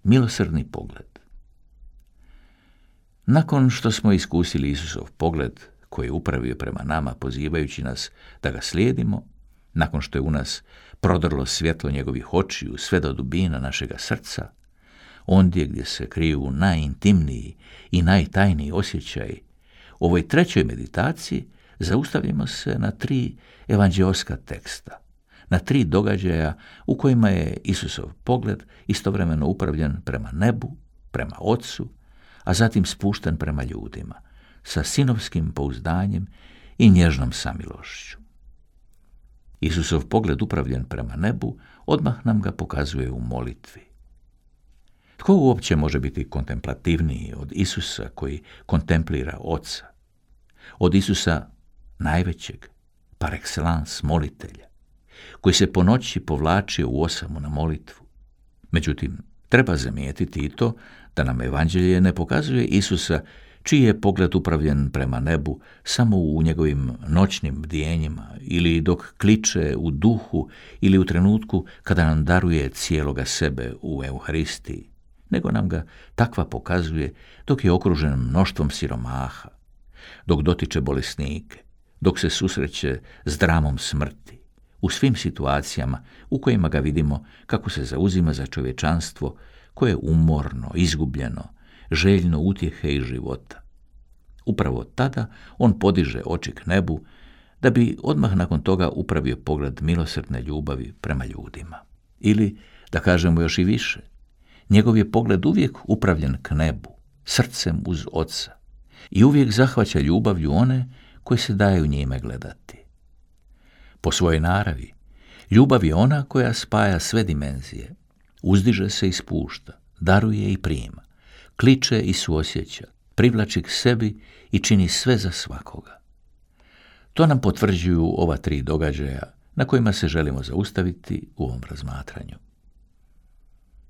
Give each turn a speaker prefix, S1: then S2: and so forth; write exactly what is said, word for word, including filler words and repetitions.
S1: Milosrdni pogled. Nakon što smo iskusili Isusov pogled koji je upravio prema nama pozivajući nas da ga slijedimo, nakon što je u nas prodrlo svjetlo njegovih očiju sve do dubina našega srca, ondje gdje se kriju najintimniji i najtajniji osjećaji, u ovoj trećoj meditaciji zaustavljamo se na tri evanđeoska teksta, na tri događaja u kojima je Isusov pogled istovremeno upravljen prema nebu, prema Otcu, a zatim spušten prema ljudima, sa sinovskim pouzdanjem i nježnom samilošću. Isusov pogled upravljen prema nebu odmah nam ga pokazuje u molitvi. Tko uopće može biti kontemplativniji od Isusa koji kontemplira Oca? Od Isusa najvećeg, par excellence molitelja, koji se po noći povlačio u osamu na molitvu. Međutim, treba zamijetiti i to da nam evanđelje ne pokazuje Isusa čiji je pogled upravljen prema nebu samo u njegovim noćnim bdijenjima ili dok kliče u duhu ili u trenutku kada nam daruje cijeloga sebe u Euharistiji, nego nam ga takva pokazuje dok je okružen mnoštvom siromaha, dok dotiče bolesnike, dok se susreće s dramom smrti, u svim situacijama u kojima ga vidimo kako se zauzima za čovječanstvo koje je umorno, izgubljeno, željno utjehe i života. Upravo tada on podiže oči k nebu da bi odmah nakon toga upravio pogled milosrdne ljubavi prema ljudima. Ili, da kažemo još i više, njegov je pogled uvijek upravljen k nebu, srcem uz Oca i uvijek zahvaća ljubavlju one koji se daju njime gledati. Po svojoj naravi, ljubav je ona koja spaja sve dimenzije, uzdiže se i spušta, daruje i prima, kliče i suosjeća, privlači k sebi i čini sve za svakoga. To nam potvrđuju ova tri događaja na kojima se želimo zaustaviti u ovom razmatranju.